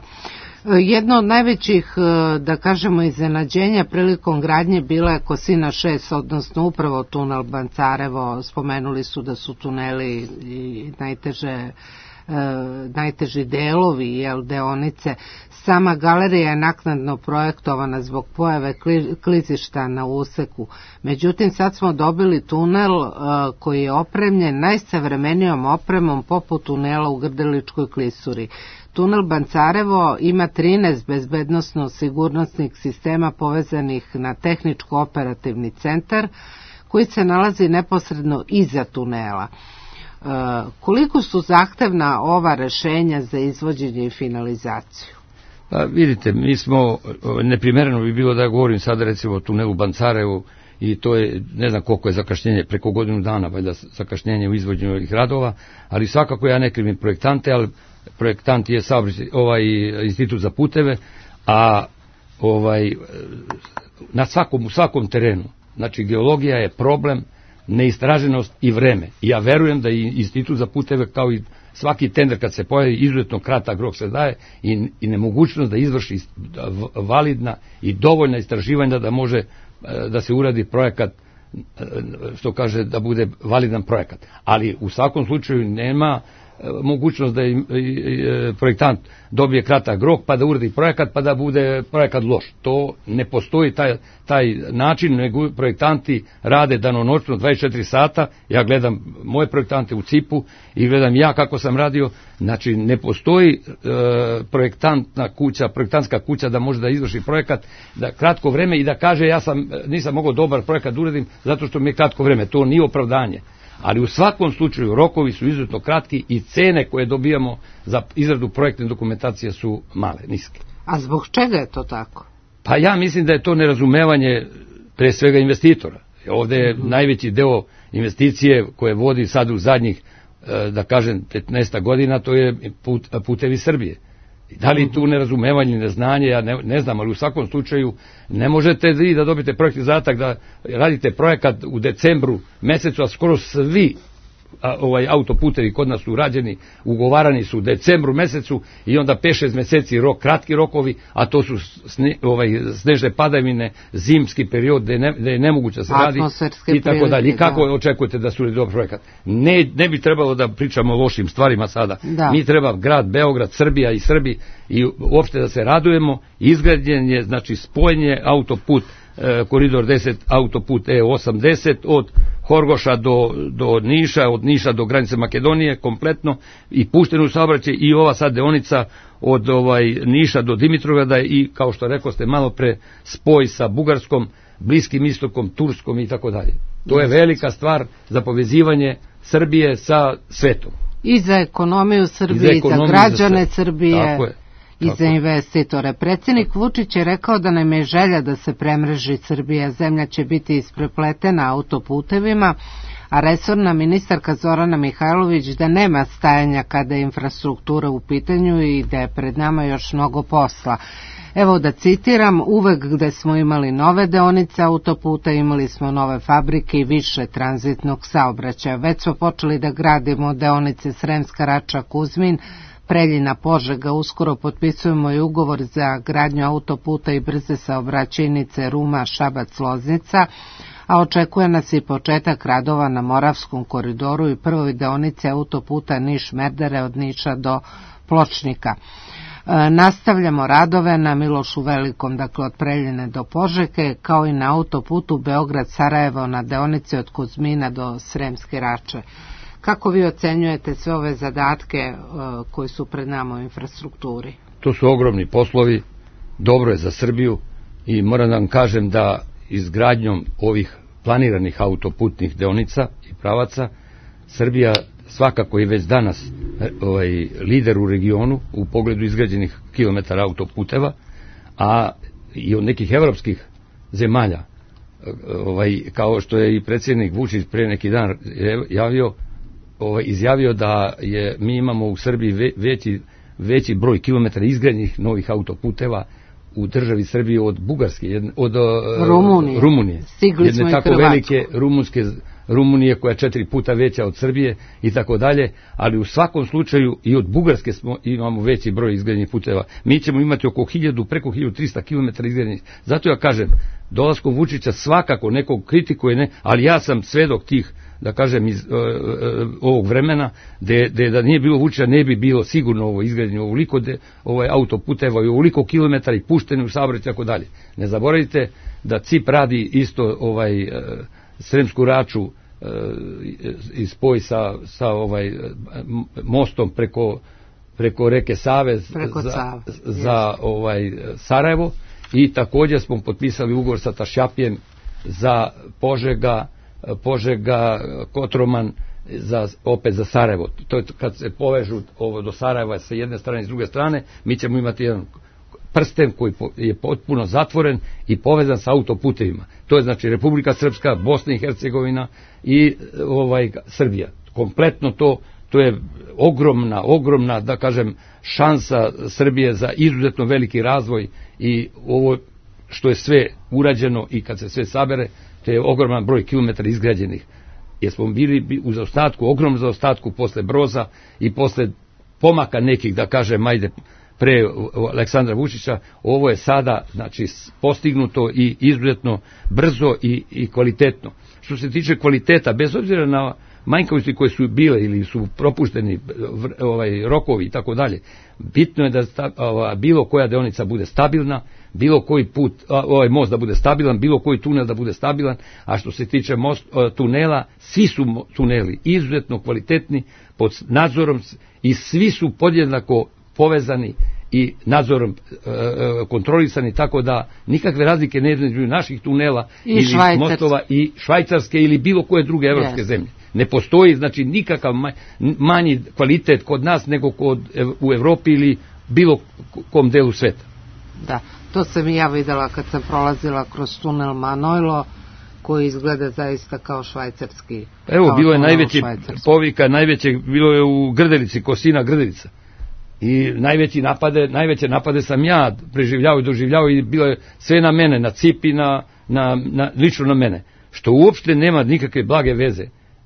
Jedno od najvećih, da kažemo, iznenađenja prilikom gradnje bila je Kosina 6, odnosno upravo tunel Bancarevo. Spomenuli su da su tuneli i najteži delovi, deonice. Sama galerija je naknadno projektovana zbog pojave klizišta na useku. Međutim, sad smo dobili tunel koji je opremljen najsavremenijom opremom poput tunela u Grdeličkoj klisuri. Tunel Bancarevo ima 13 bezbednosno-sigurnosnih sistema povezanih na tehničko-operativni centar koji se nalazi neposredno iza tunela. Koliko su zahtevna ova rešenja za izvođenje i finalizaciju? Pa vidite, mi smo, neprimereno bi bilo da govorim sada recimo o tunelu Bancarevo, i to je, ne znam koliko je zakašnjenje, preko godinu dana, valjda zakašnjenje u izvođenju ovih radova, ali svakako ja ne krivim projektante, ali projektant je institut za puteve, a na svakom terenu, znači geologija je problem, neistraženost i vreme. I ja verujem da i institut za puteve, kao i svaki tender kad se pojavi, izuzetno kratak rok se daje i nemogućnost da izvrši validna i dovoljna istraživanja da može da se uradi projekat, što kaže da bude validan projekat. Ali u svakom slučaju nema mogućnost da projektant dobije kratak rok pa da uradi projekat pa da bude projekat loš. To ne postoji taj način, nego projektanti rade danonoćno 24 sata. Ja gledam moje projektante u CIP-u i gledam ja kako sam radio. Znači ne postoji projektantska kuća da može da izvrši projekat da kratko vreme i da kaže nisam mogao dobar projekat da uradim zato što mi je kratko vreme. To nije opravdanje. Ali u svakom slučaju rokovi su izuzetno kratki i cene koje dobijamo za izradu projektne dokumentacije su male, niske. A zbog čega je to tako? Pa ja mislim da je to nerazumevanje pre svega investitora. Ovde je najveći deo investicije koje vodi sad u zadnjih, da kažem, 15 godina, to je Putevi Srbije. Da li tu nerazumevanje, neznanje, ja ne znam, ali u svakom slučaju ne možete vi da dobijete projektni zadatak da radite projekat u decembru mesecu, a skoro svi autoputevi kod nas su rađeni, ugovarani su u decembru mesecu i onda 5-6 meseci kratki rokovi, a to su snežne padavine, zimski period gde je nemoguće da se radi i tako dalje. I kako očekujete da su dobar projekat? Ne bi trebalo da pričamo o lošim stvarima sada. Mi treba grad Beograd, Srbija i Srbi i uopšte da se radujemo. Izgrađen je, znači spojenje autoput koridor 10, autoput E80 od Horgoša do Niša, od Niša do granice Makedonije kompletno i puštenu saobraćaj i ova sad deonica od Niša do Dimitrovgrada i kao što rekao ste malo pre spoj sa Bugarskom, Bliskim istokom, Turskom i tako dalje. To je velika stvar za povezivanje Srbije sa svetom. I za ekonomiju Srbije, i za građane Srbije. Tako je. I za investitore. Predsjednik Vučić je rekao da nam je želja da se premreži Srbija. Zemlja će biti isprepletena autoputevima, a resorna ministarka Zorana Mihajlović da nema stajanja kada je infrastruktura u pitanju i da je pred nama još mnogo posla. Evo da citiram, uvek gde smo imali nove deonice autoputa, imali smo nove fabrike i više tranzitnog saobraćaja. Već smo počeli da gradimo deonice Sremska Rača, Kuzmin, Preljina, Požega, uskoro potpisujemo i ugovor za gradnju autoputa i brze saobraćajnice Ruma, Šabac, Loznica, a očekuje nas i početak radova na Moravskom koridoru i prvoj deonici autoputa Niš-Merdare od Niša do Pločnika. Nastavljamo radove na Milošu Velikom, dakle od Preljine do Požege, kao i na autoputu Beograd-Sarajevo na deonici od Kuzmina do Sremske Rače. Kako vi ocenjujete sve ove zadatke koji su pred nama u infrastrukturi? To su ogromni poslovi, dobro je za Srbiju i moram da vam kažem da izgradnjom ovih planiranih autoputnih deonica i pravaca Srbija svakako i već danas lider u regionu u pogledu izgrađenih kilometara autoputeva, a i od nekih evropskih zemalja, kao što je i predsjednik Vučić pre neki dan izjavio da mi imamo u Srbiji veći broj kilometara izgrađenih novih autoputeva u državi Srbije od Bugarske, od Rumunije. Jedne tako velike Rumunije koja je 4 puta veća od Srbije i tako dalje, ali u svakom slučaju i od Bugarske imamo veći broj izgrađenih puteva. Mi ćemo imati preko 1300 km izgrađenih. Zato ja kažem, dolaskom Vučića svakako nekog kritikuje, ali ja sam svedok tih, da kažem, iz ovog vremena, da nije bilo Vučića, ne bi bilo sigurno ovo izgrađenje ovoliko autoputeva i ovoliko kilometara i pušteni u saobraćaj i tako dalje. Ne zaboravite da CIP radi isto Sremsku Raču i spoj sa mostom preko reke Save za Sarajevo, i također smo potpisali ugovor sa Tašjapijem za Požega, Kotroman, opet za Sarajevo. To je kad se povežu do Sarajeva sa jedne strane i s druge strane, mi ćemo imati jedan prsten koji je potpuno zatvoren i povezan sa autoputevima. To je znači Republika Srpska, Bosna i Hercegovina i Srbija. Kompletno to je ogromna, da kažem, šansa Srbije za izuzetno veliki razvoj, i ovo što je sve urađeno i kad se sve sabere, to je ogroman broj kilometara izgrađenih. Jer smo bili u zaostatku, ogromnom zaostatku posle Broza i posle pomaka nekih, da kažem, pre Aleksandra Vučića. Ovo je sada, znači, postignuto i izuzetno brzo i kvalitetno. Što se tiče kvaliteta, bez obzira na manjkavosti koje su bile ili su propušteni rokovi i tako dalje, bitno je da bilo koja deonica bude stabilna, bilo koji put, most da bude stabilan, bilo koji tunel da bude stabilan, a što se tiče tunela, svi su tuneli izuzetno kvalitetni, pod nadzorom, i svi su podjednako povezani i nadzorom kontrolisani, tako da nikakve razlike ne između naših tunela ili mostova i Švajcarske ili bilo koje druge evropske zemlje. Ne postoji, znači, nikakav manji kvalitet kod nas nego u Evropi ili bilo kom delu sveta. Da, to sam i ja videla kad sam prolazila kroz tunel Manojlo, koji izgleda zaista kao švajcarski. Evo, bilo je najveći povika, bilo je u Grdelici, Kosina Grdelica. I najveće napade sam ja preživljavao i doživljavao, i bilo je sve na mene, na CIP i lično na mene. Što uopšte nema nikakve blage veze.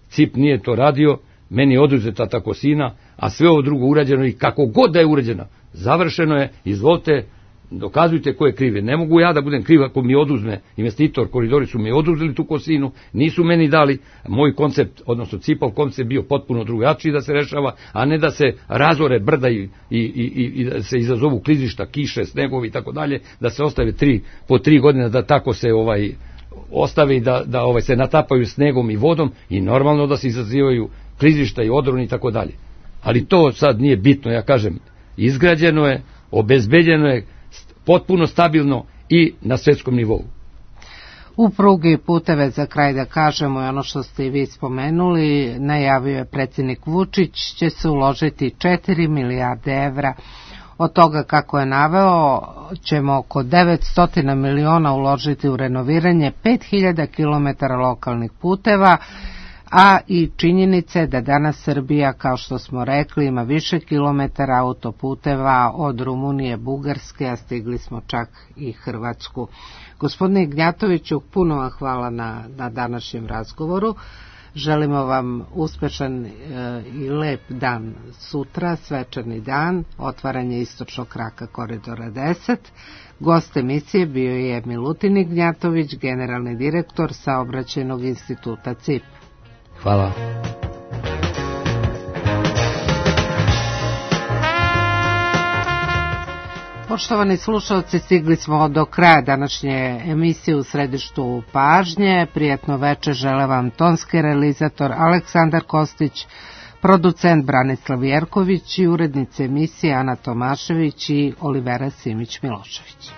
CIP nije to radio, meni je oduzeta ta Kosina, a sve ovo drugo urađeno, i kako god da je urađeno, završeno je, izvolite, dokazujte ko je kriv. Ne mogu ja da budem kriv ako mi oduzme investitor, Koridori su mi oduzeli tu Kosinu, nisu meni dali. Moj koncept, odnosno CIP-ov koncept, bio potpuno drugačiji da se rešava, a ne da se razore brda i da se izazovu klizišta, kiše, snegovi i tako dalje, da se ostave po 3 godine da tako se ostave i da se natapaju snegom i vodom, i normalno da se izazivaju klizišta i odroni i tako dalje. Ali to sad nije bitno, ja kažem, izgrađeno je, obezbeđeno je, potpuno stabilno i na svetskom nivou. U pruge i puteve, za kraj da kažemo, i ono što ste i vi spomenuli, najavio je predsjednik Vučić, će se uložiti 4 milijarde evra. Od toga, kako je naveo, ćemo oko 900 miliona uložiti u renoviranje 5000 km lokalnih puteva, a i činjenice da danas Srbija, kao što smo rekli, ima više kilometara autoputeva od Rumunije, Bugarske, a stigli smo čak i Hrvatsku. Gospodine Ignjatoviću, puno vam hvala na današnjem razgovoru. Želimo vam uspešan i lep dan sutra, svečani dan, otvaranje istočnog kraka Koridora 10. Gost emisije bio je Milutin Ignjatović, generalni direktor Saobraćajnog instituta CIP. Hvala. Poštovani slušalci, stigli smo do kraja današnje emisije U središtu pažnje. Prijatno večer žele vam tonski realizator Aleksandar Kostić, producent Branislav Jerković i urednice emisije Ana Tomašević i Olivera Simić Milošević.